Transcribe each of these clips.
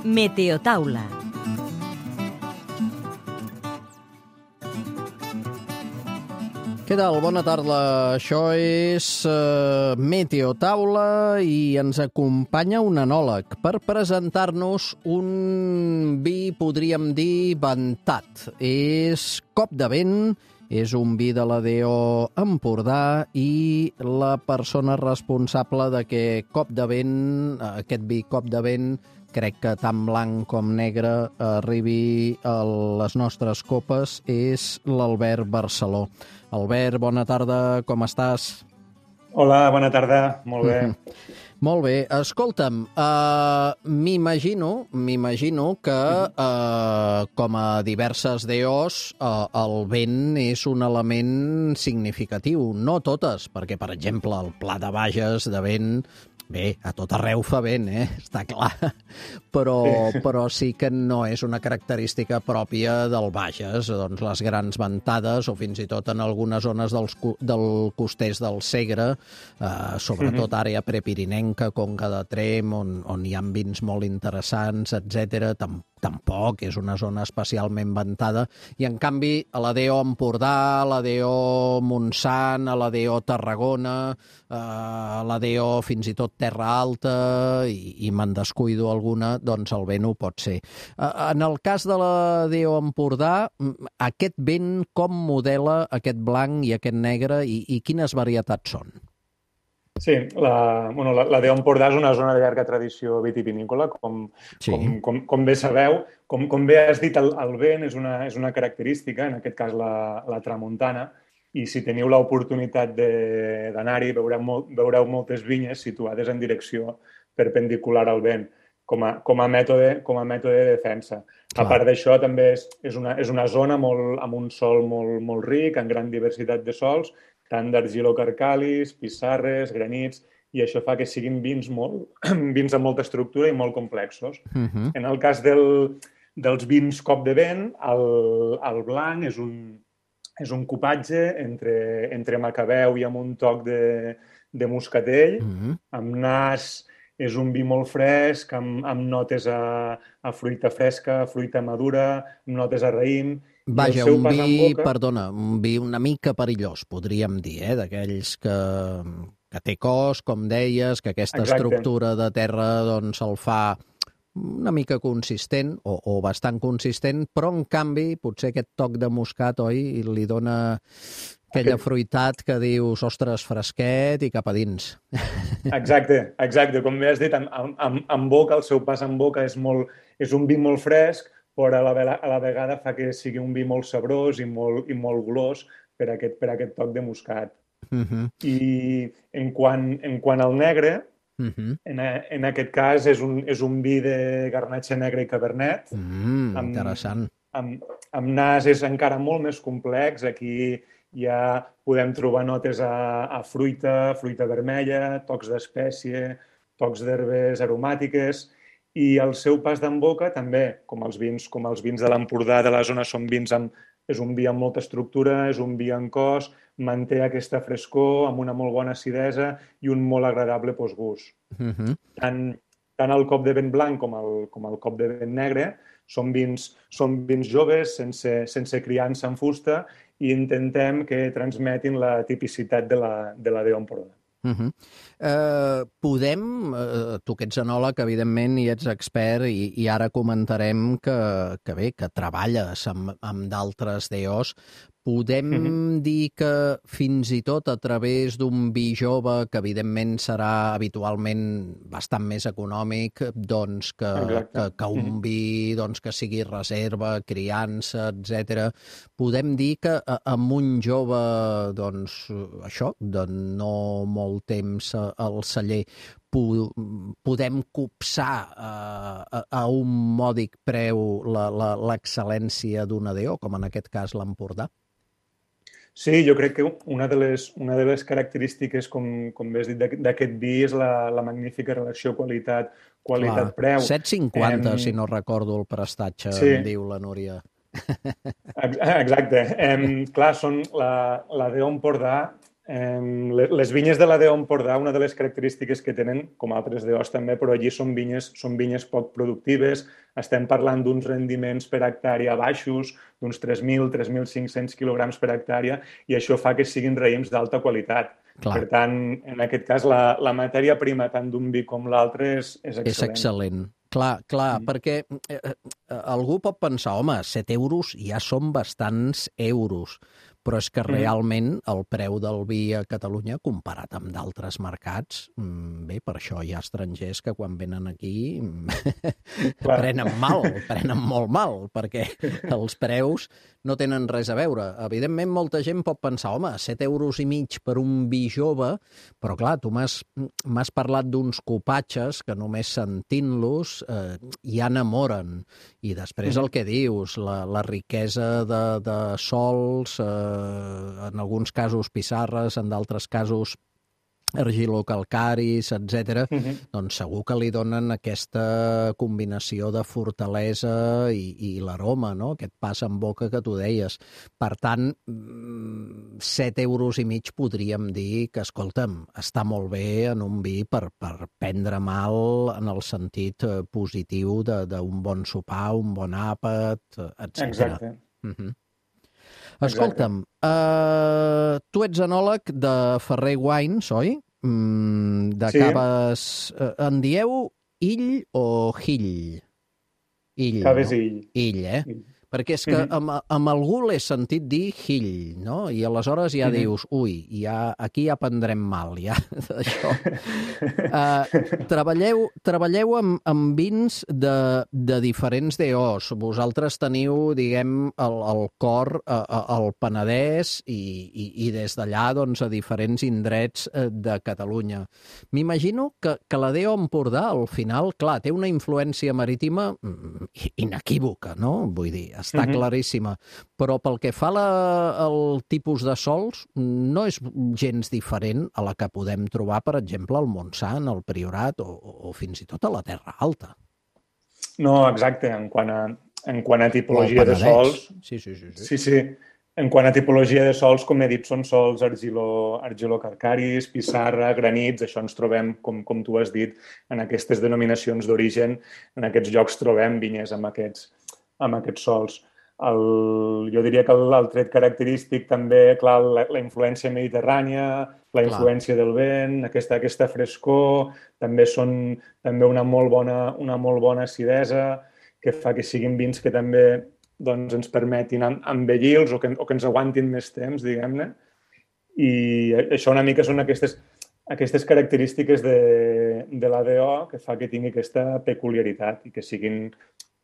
Meteotaula. Què tal? Bona tarda. Això és Meteotaula i ens acompanya un enòleg per presentar-nos un vi, podríem dir, ventat. És Cop de Vent, és un vi de la DO Empordà i la persona responsable de que Cop de Vent, aquest vi Cop de Vent, crec que tant blanc com negre arribi a les nostres copes, és l'Albert Barceló. Albert, bona tarda, com estàs? Hola, bona tarda, molt bé. Molt bé. Escolta'm, m'imagino que, com a diverses DOs, el vent és un element significatiu. No totes, perquè, per exemple, el Pla de Bages de vent, bé, a tot arreu fa vent, està clar, però sí que no és una característica pròpia del Bages, doncs les grans ventades, o fins i tot en algunes zones del costers del Segre, sobretot àrea prepirinenca, Conca de Tremp, on hi ha vins molt interessants, etc. Tampoc és una zona especialment ventada, i en canvi a la DO Empordà, a la DO Montsant, a la DO Tarragona, a la DO fins i tot Terra Alta, i me'n descuido alguna, doncs el vent ho pot ser. En el cas de la DO Empordà, aquest vent com modela aquest blanc i aquest negre i quines varietats són? Sí, la DO Empordà és una zona de llarga tradició vitivinícola, com bé sabeu. Com bé has dit, el vent és una característica, en aquest cas la tramuntana, i si teniu l'oportunitat d'anar-hi veureu moltes vinyes situades en direcció perpendicular al vent, com a mètode de defensa. Clar. A part d'això, també és una zona amb un sòl molt ric, en gran diversitat de sòls, tant d'argilocarcalis, pissarres, granits, i això fa que siguin vins amb molta estructura i molt complexos. En el cas dels vins Cop de Vent, el blanc és un cupatge entre macabeu i amb un toc de moscatell, amb nas. És un vi molt fresc, amb notes a fruita fresca, fruita madura, amb notes a raïm. Vaja, un vi una mica perillós, podríem dir, d'aquells que té cos, com deies, que aquesta estructura de terra doncs el fa una mica consistent, o bastant consistent, però en canvi potser aquest toc de moscat, oi, li dona aquella fruitat que dius, ostres, fresquet i cap a dins. Exacte. Com bé has dit, en boca, el seu pas en boca és un vi molt fresc, però a la vegada fa que sigui un vi molt sabrós i molt golós per aquest toc de moscat. I en quant al negre, en aquest cas és un vi de garnatxa negra i cabernet. Interessant. Amb nas és encara molt més complex. Aquí ja podem trobar notes a fruita vermella, tocs d'espècie, tocs d'herbes aromàtiques, i el seu pas d'en boca també, com els vins de l'Empordà de la zona, és un vi amb molta estructura, és un vi en cos, manté aquesta frescor amb una molt bona acidesa i un molt agradable postgust. Tant el Cop de Vent blanc com el Cop de Vent negre són vins joves, sense criança en fusta, i intentem que transmetin la tipicitat de la DO Empordà. Podem, tu que ets enòleg, evidentment, i ets expert, i ara comentarem que treballes amb d'altres DOs, podem dir que fins i tot a través d'un vi jove, que evidentment serà habitualment bastant més econòmic doncs que un vi que sigui reserva, criança, etc. Podem dir que amb un jove, de no molt temps al celler, podem copsar a un mòdic preu l'excel·lència d'una DO, com en aquest cas l'Empordà? Sí, jo crec que una de les característiques, com bé has dit, d'aquest vi és la magnífica relació qualitat-preu. 7,50, si no recordo el prestatge, em diu la Núria. Exacte. Clar, la DO Empordà Les vinyes de la DO Empordà, una de les característiques que tenen, com altres DOs també, però allí són vinyes poc productives. Estem parlant d'uns rendiments per hectàrea baixos, d'uns 3.000, 3.500 quilograms per hectàrea, i això fa que siguin raïms d'alta qualitat. Clar. Per tant, en aquest cas, la matèria prima tant d'un vi com l'altre és excel·lent. És excel·lent. Clar, perquè algú pot pensar, home, 7 euros ja són bastants euros, però és que realment el preu del vi a Catalunya, comparat amb d'altres mercats, bé, per això hi ha estrangers que quan venen aquí prenen molt mal, perquè els preus no tenen res a veure. Evidentment, molta gent pot pensar, home, 7,5 euros per un vi jove, però clar, tu m'has parlat d'uns copatges que només sentint-los ja enamoren. I després el que dius, la riquesa de sols, en alguns casos pissarres, en d'altres casos argilocalcaris, etc. Doncs segur que li donen aquesta combinació de fortalesa i l'aroma, no? Aquest pas en boca que tu deies. Per tant, 7,5 euros podríem dir que, escolta'm, està molt bé en un vi per prendre mal en el sentit positiu d'un bon sopar, un bon àpat, etc. Exacte. Escolta'm, tu ets enòleg de Ferrer Wines, oi? De caves... En dieu ill o hill? Ill, caves ill. Ill, Perquè és que amb algú l'he sentit dir hill, no? I aleshores ja dius, ui, aquí ja prendrem mal, ja, d'això. Treballeu amb vins de diferents DOs. Vosaltres teniu, diguem, el cor al Penedès i des d'allà, doncs, a diferents indrets de Catalunya. M'imagino que la DO Empordà, al final, clar, té una influència marítima inequívoca, no? Vull dir, està claríssima. Però pel que fa al tipus de sols, no és gens diferent a la que podem trobar, per exemple, al Montsant, al Priorat o fins i tot a la Terra Alta. No, exacte. En quant a tipologia de sols... Sí. En quant a tipologia de sols, com he dit, són sols argilocalcaris, pissarra, granits. Això ens trobem, com tu has dit, en aquestes denominacions d'origen. En aquests llocs trobem vinyes amb aquests sols. Jo diria que el tret característic també, clar, la influència mediterrània, la influència del vent, aquesta frescor, també una molt bona acidesa, que fa que siguin vins que també doncs, ens permetin envellir-los o que ens aguantin més temps, diguem-ne. I això una mica són aquestes característiques de la DO que fa que tingui aquesta peculiaritat i que siguin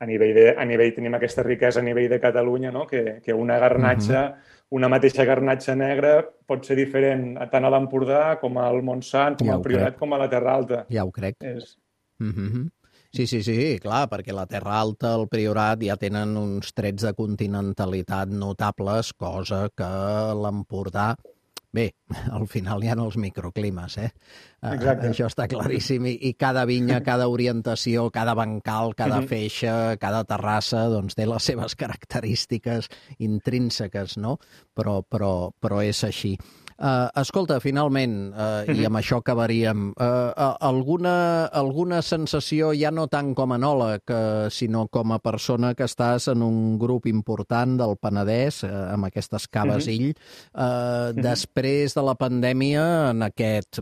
a nivell tenim aquesta riquesa a nivell de Catalunya, no? Que una garnatxa, una mateixa garnatxa negra pot ser diferent tant a l'Empordà com al Montsant, com al Priorat, com a la Terra Alta. Ja ho crec. Sí, clar, perquè la Terra Alta, el Priorat, ja tenen uns trets de continentalitat notables, cosa que l'Empordà... Bé, al final hi ha els microclimes, Això està claríssim. I cada vinya, cada orientació, cada bancal, cada feixa, cada terrassa, doncs té les seves característiques intrínseques, no? Però és així. Escolta, finalment, i amb això acabaríem, alguna sensació, ja no tant com a enòleg, sinó com a persona que estàs en un grup important del Penedès, amb aquestes caves ill, després de la pandèmia, en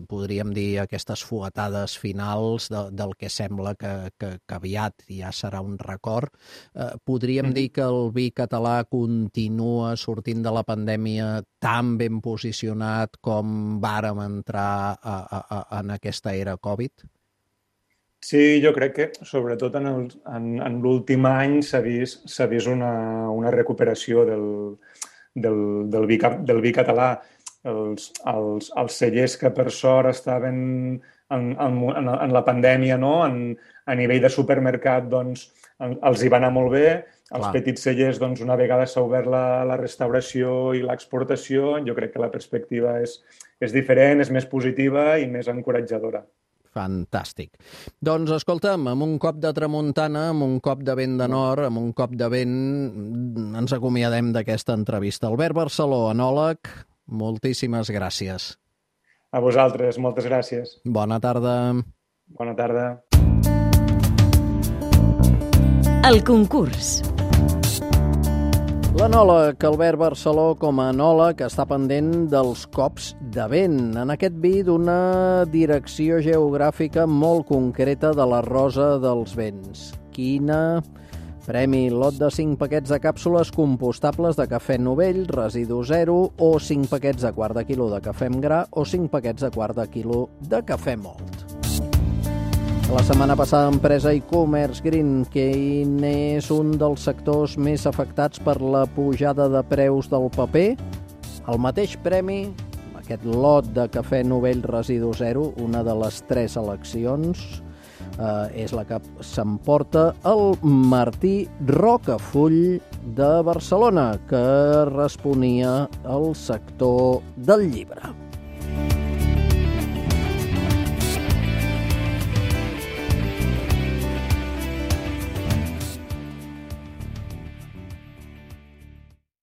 podríem dir, aquestes fuetades finals del que sembla que aviat ja serà un record, podríem dir que el vi català continua sortint de la pandèmia tan ben posicionat com vàrem entrar en aquesta era Covid? Sí, jo crec que, sobretot en l'últim any, s'ha vist una recuperació del vi català. Els cellers que, per sort, estaven en la pandèmia, no? A nivell de supermercat, doncs, els hi va anar molt bé. Els petits cellers, doncs, una vegada s'ha obert la restauració i l'exportació, jo crec que la perspectiva és diferent, és més positiva i més encoratjadora. Fantàstic. Doncs, escolta'm, amb un cop de tramuntana, amb un cop de vent de nord, amb un cop de vent, ens acomiadem d'aquesta entrevista. Albert Barceló, enòleg, Moltíssimes gràcies. A vosaltres, moltes gràcies. Bona tarda. Bona tarda. El concurs. L'enòleg Albert Barceló com a enòleg està pendent dels cops de vent. En aquest vi d'una direcció geogràfica molt concreta de la Rosa dels Vents. Quina? Premi: lot de 5 paquets de càpsules compostables de cafè novell, residu zero, o 5 paquets de quart de quilo de cafè amb gra, o 5 paquets de quart de quilo de cafè mòlt. La setmana passada, empresa e-commerce Green, quin és un dels sectors més afectats per la pujada de preus del paper? El mateix premi, aquest lot de cafè novell residu zero, una de les 3 eleccions, és la que s'emporta el Martí Rocafull de Barcelona, que responia al sector del llibre.